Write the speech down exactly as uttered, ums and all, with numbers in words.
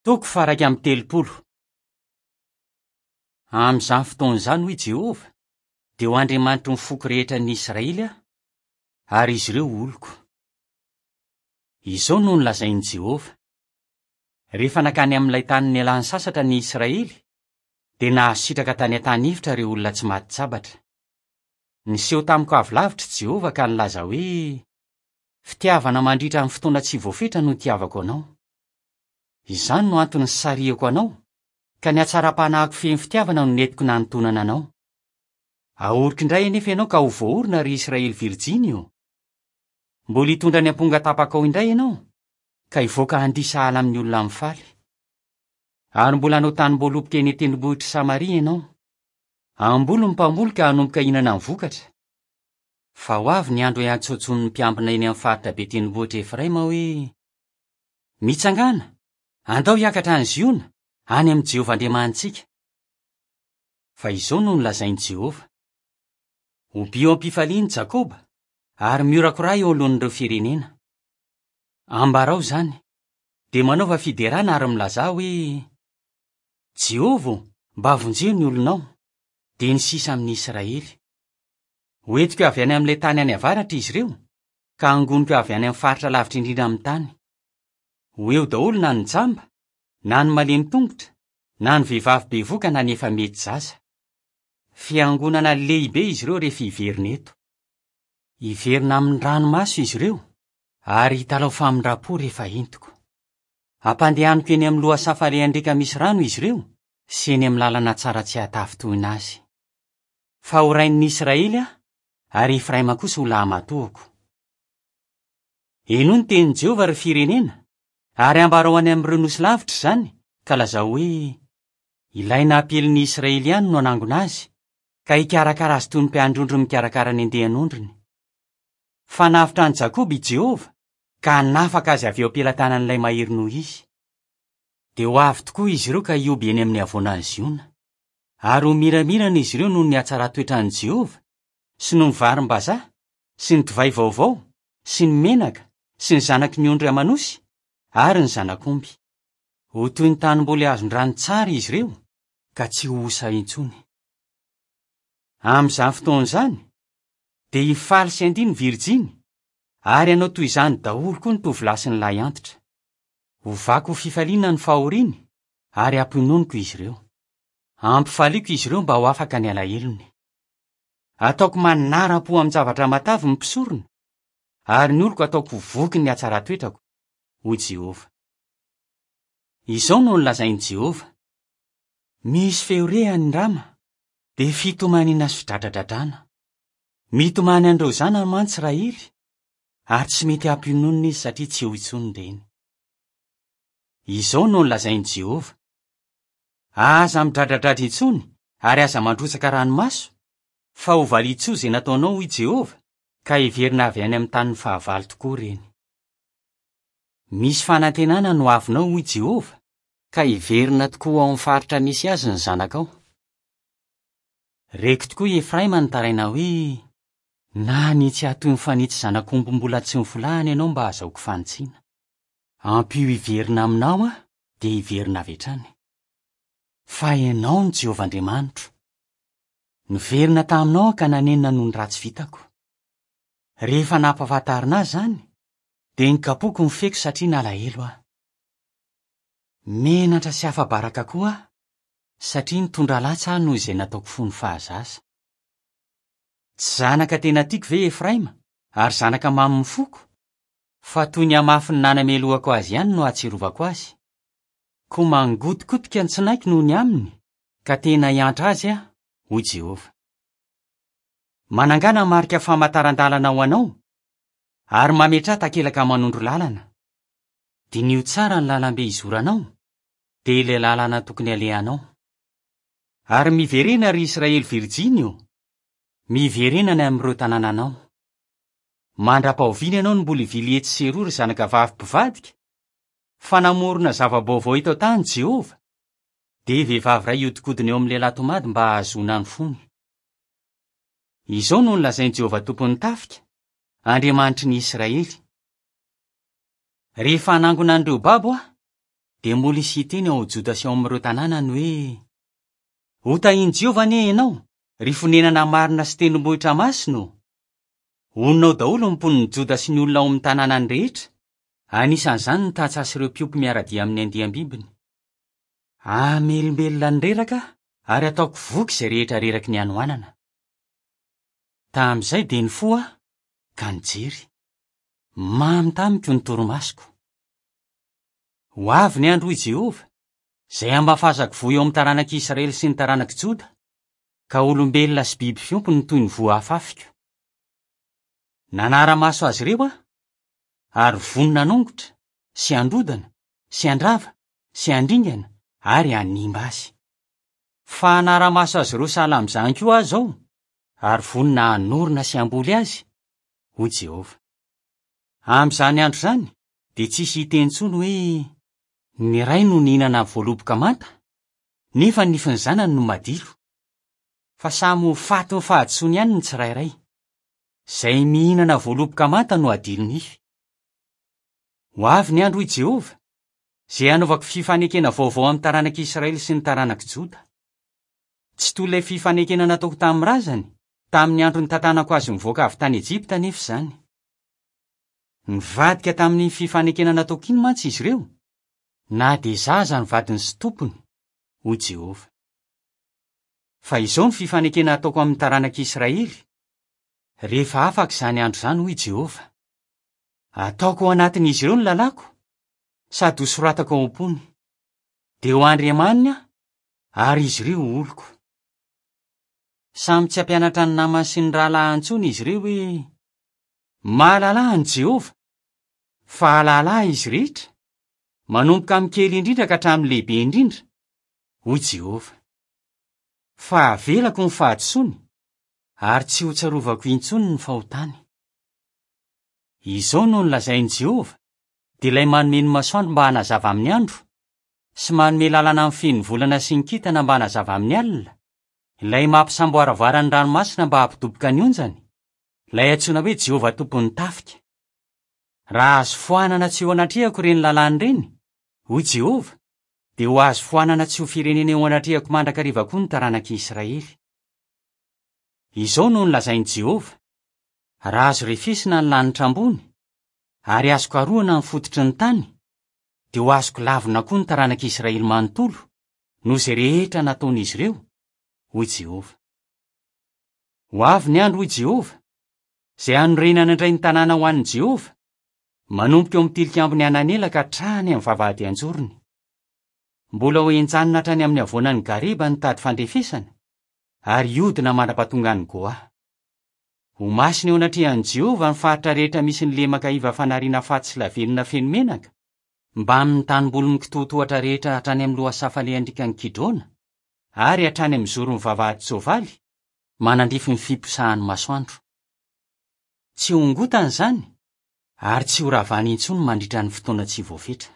Toko faha-iraika amby telopolo. Amin'izany fotoana izany, hoy Jehovah, dia ho Andriamanitry ny foko rehetra ny Israely aho, ary izy ireo ho oloko. Izao no nolazain'i Jehovah: Rehefa nankany amin'ilay tany nialany sasatra ny Israely, dia nahazo sitraka tany an-tany efitra ireo olona tsy maty sabatra. Niseho tamiko avy lavitra i Jehovah ka nilaza hoe: Fitiavana mandritra ny fotoana tsy voafetra no itiavako anao. Izany no antony nisarihako anao, ka ny hatsaram-panahiko feno fitiavana no nentiko nanontonana anao. Ahoriko indray anefa ianao ka ho voaorina, ry Israely virjiny ô. Mbola hitondra ny amponga tapakao indray ianao, ka hivoaka handihy sahala amin'ny olona mifaly. Ary mbola hanao tanim-boaloboka eny an-tendrombohitr'i Samaria ianao. Hamboly ny mpamboly ka hanomboka hihinana ny vokatra. Fa ho avy ny andro hiantsoantsoan'ny mpiambina eny amin'ny faritra be tendrombohitra Efraima hoe: Mitsangàna, andao hiakatra any Ziona, any amin'i Jehovah Andriamanitsika. Fa izao no nolazain'i Jehovah: Hobio am-pifaliana i Jakoba, ary miorakoraha eo alohan'ireo firenena. Ambarao izany, dia manaova fiderana ary milazà hoe: Jehovah ô, mba vonjeo ny olonao, dia ny sisa amin'ny Israely. Hoentiko avy any amin'ilay tany any avaratra izy ireo, ka hangoniko avy any amin'ny faritra lavitra indrindra amin'ny tany. Ho eo daholo na ny jamba, na ny malemy tongotra, na ny vehivavy bevoka na ny efa mety zaza. Fiangonana lehibe izy ireo rehefa hiverina eto. Hiverina amin'ny ranomaso izy ireo, ary hitalaho famindram-po rehefa entiko. Hampandehaniko eny amin'ny lohasaha falehan-driaka misy rano izy ireo, sy eny amin'ny lalana tsara tsy hahatafintohina azy. Fa ho rain'ny Israely aho, ary Efraima kosa ho lahamatoako. Henoy ny tenin'i Jehovah, ry firenena, ary ambarao any amin'ireo nosy lavitra izany, ka lazao hoe: Ilay nampiely ny Israely ihany no hanangona azy, ka hikarakara azy toy ny mpiandry ondry mikarakara ny andian'ondriny. Fa navotra an'i Jakoba i Jehovah, ka hanafaka azy avy eo am-pelatanan'ilay mahery noho izy. Dia ho avy tokoa izy ireo ka hihoby eny amin'ny havoanan'i Ziona. Ary ho miramirana izy ireo noho ny hatsaran-toetran'i Jehovah, sy noho ny varim-bazaha, sy ny divay vaovao, sy ny menaka, sy ny zanaky ny ondry aman'osy, ary ny zanak'omby. Ho toy ny tanimboly azon-drano tsara izy ireo, ka tsy ho osa intsony. Amin'izany fotoana izany, dia hifaly sy handihy ny virjiny, ary hanao toy izany daholo koa ny tovolahy sy ny lahy antitra. Hovako ho fifaliana ny fahoriany, ary hampiononiko izy ireo. Hampifaliako izy ireo mba ho afaka ny alahelony. Ataoko manaram-po amin-javatra matavy ny mpisorona, ary ny oloko ataoko ho voky ny hatsaran-toetrako, hoy Jehovah. Izao no nolazain'i Jehovah: Misy feo re any Rama, dia fitomaniana sy fidradradradrana. Mitomany an'ireo zanany mantsy Rahely, ary tsy mety hampiononina izy satria tsy eo intsony ny reny. Izao no nolazain'i Jehovah: Aza midradradradra intsony ary aza mandrotsaka ranomaso, fa ho valian-tsoa izay nataonao, hoy Jehovah, ka hiverina avy any amin'ny tanin'ny fahavalo tokoa ireny. Misy fanantenana no avinao, hoy Jehovah, ka hiverina tokoa ao amin'ny faritra misy azy ny zanakao. Reko tokoa i Efraima nitaraina hoe: Nanitsy ahy toy ny fanitsy zanak'omby mbola tsy nofolahana ianao mba hahazahoako fanitsiana. Ampio hiverina aminao aho, dia hiverina avy hatrany. Fa ianao no Jehovah Andriamanitro. Niverina taminao aho ka nanenina noho ny ratsy vitako. Rehefa nampahafantarina ahy izany, dia nikapoka ny feko satria nalahelo aho. Menatra sy afa-baraka koa aho, satria nitondra latsa aho noho izay nataoko fony fahazaza. Tsy zanaka tena tiako ve Efraima, ary zanaka mamin'ny foko? Fa toy ny hamafin'ny nanamelohako azy ihany no ahatsiarovako azy. Koa mangotikotika ny tsinaiko noho ny aminy, ka tena hiantra azy aho, hoy Jehovah. Manangana marika famantaran-dalana ho anao, ary mametraha takelaka manondro lalana. Diniho tsara ny lalambe izoranao, dia ilay lalana tokony alehanao. Ary miverena, ry Israely virjiny ô, miverena any amin'ireo tanànanao. Mandra-pahoviana ianao no mbola hivily etsy sy eroa, ry zanakavavy mpivadika? Fa namorona zava-baovao eto an-tany Jehovah, dia vehivavy iray hiodikodina eo amin'ny lehilahy tomady mba hahazoana ny fony. Izao no nolazain'i Jehovah tompon'ny tafika, Andriamanitry ny Israely: Rehefa hanangona an'ireo babo aho, dia mbola hisy hiteny ao Joda sy ao amin'ireo tanànany hoe: Hotahian'i Jehovah anie ianao, ry fonenana marina sy tendrombohitra masina ô! Honina ao daholo ny mponin'i Joda sy ny olona ao amin'ny tanànany rehetra, anisan'izany ny tantsaha sy ireo mpiompy miara-dia amin'ny andiam-bibiny. Hamelombelona ny reraka ary hataoko voky izay rehetra reraky ny hanoanana. Tamin'izay dia nifoha aho ka nijery. Mamy tamiko ny torimasoko. Ho avy ny andro, hoy Jehovah, izay hamafazako voa eo amin'ny taranak'i Israely sy ny taranak'i Joda, ka olombelona sy biby fiompy no toy ny voa afafiko. Nanara-maso azy ireo aho, ary vonona hanongotra sy handrodana sy handrava sy handringana ary hanimba azy. Fa hanara-maso azy ireo sahala amin'izany koa aho izao, ary vonona hanorina sy hamboly azy, hoy Jehovah. Amin'izany andro izany dia tsy hisy hiteny intsony hoe: ny ray no nihinana voaloboka manta, nefa ny nifin'ny zanany no madilo. Fa samy ho faty ny fahadisoany ihany ny tsirairay. Izay mihinana voaloboka manta no adilo nify. Ho avy ny andro, hoy Jehovah, izay hanaovako fifanekena vaovao amin'ny taranak'i Israely sy ny taranak'i Joda. Tsy toy ilay fifanekena nataoko tamin'ny razany, tamin'ny andro nitantanako azy mivoaka avy tany Ejipta anefa izany. Nivadika tamin'ny fifanekena nataoko iny mantsy izy ireo, na dia zaza ny vadiny sy tompony, hoy Jehovah. Fa izao ny fifanekena ataoko amin'ny taranak'i Israely, rehefa afaka izany andro izany, hoy Jehovah. Ataoko ao anatin'izy ireo ny lalàko, sady hosoratako ao am-pony. Dia ho Andriamaniny aho, ary izy ireo ho oloko. Samy tsy hampianatra ny namany sy ny rahalahiny intsony izy ireo hoe: mahalala an'i Jehovah, fa hahalala izy rehetra, manomboka amin'ny kely indrindra ka hatramin'ny lehibe indrindra, hoy Jehovah. Fa avelako ny fahadisoany, ary tsy ho tsarovako intsony ny fahotany. Izao no nolazain'i Jehovah, dia ilay manome ny masoandro mba hanazava amin'ny andro, sy manome lalana amin'ny feno volana sy ny kintana mba hanazava amin'ny alina, ilay mampisamboaravoara ny ranomasina mba hampidoboka ny onjany, ilay antsoina hoe Jehovah tompon'ny tafika. Raha azo foanana tsy eo anatrehako ireny lalàna ireny, hoy Jehovah, dia ho azo foanana tsy ho firenena eo anatrehako mandrakariva koa ny taranak'i Israely. Izao no nolazain'i Jehovah: raha azo refesina ny lanitra ambony, ary azo karohina ny fototry ny tany, dia ho azoko lavina koa ny taranak'i Israely manontolo, noho izay rehetra nataon'izy ireo, hoy Jehovah. Ho avy ny andro, hoy Jehovah, izay hanorenana indray ny tanàna ho an'i Jehovah, manomboka eo amin'ny tilikambon'i Hananela ka hatrany amin'ny vavahady an-jorony. Mbola ho henjanina hatrany amin'ny havoanan'i Gareba ny tady fandrefesana, ary hiodina mandra-pahatongan'i Goa. Ho masina eo anatrehan'i Jehovah ny faritra rehetra misy ny lemaka iva fanariana faty sy lavenona feno menaka, mbamin'ny tanimbolin'ny kitoatohatra rehetra hatrany amin'ny lohasaha falehan-driakan'i Kidrona, ary hatrany amin'ny zoron'ny vavahady tsoavaly, manandrify ny fiposahan'ny masoandro. Tsy hongotana izany, ary tsy ho ravana intsony mandritra ny fotoana tsy voafetra.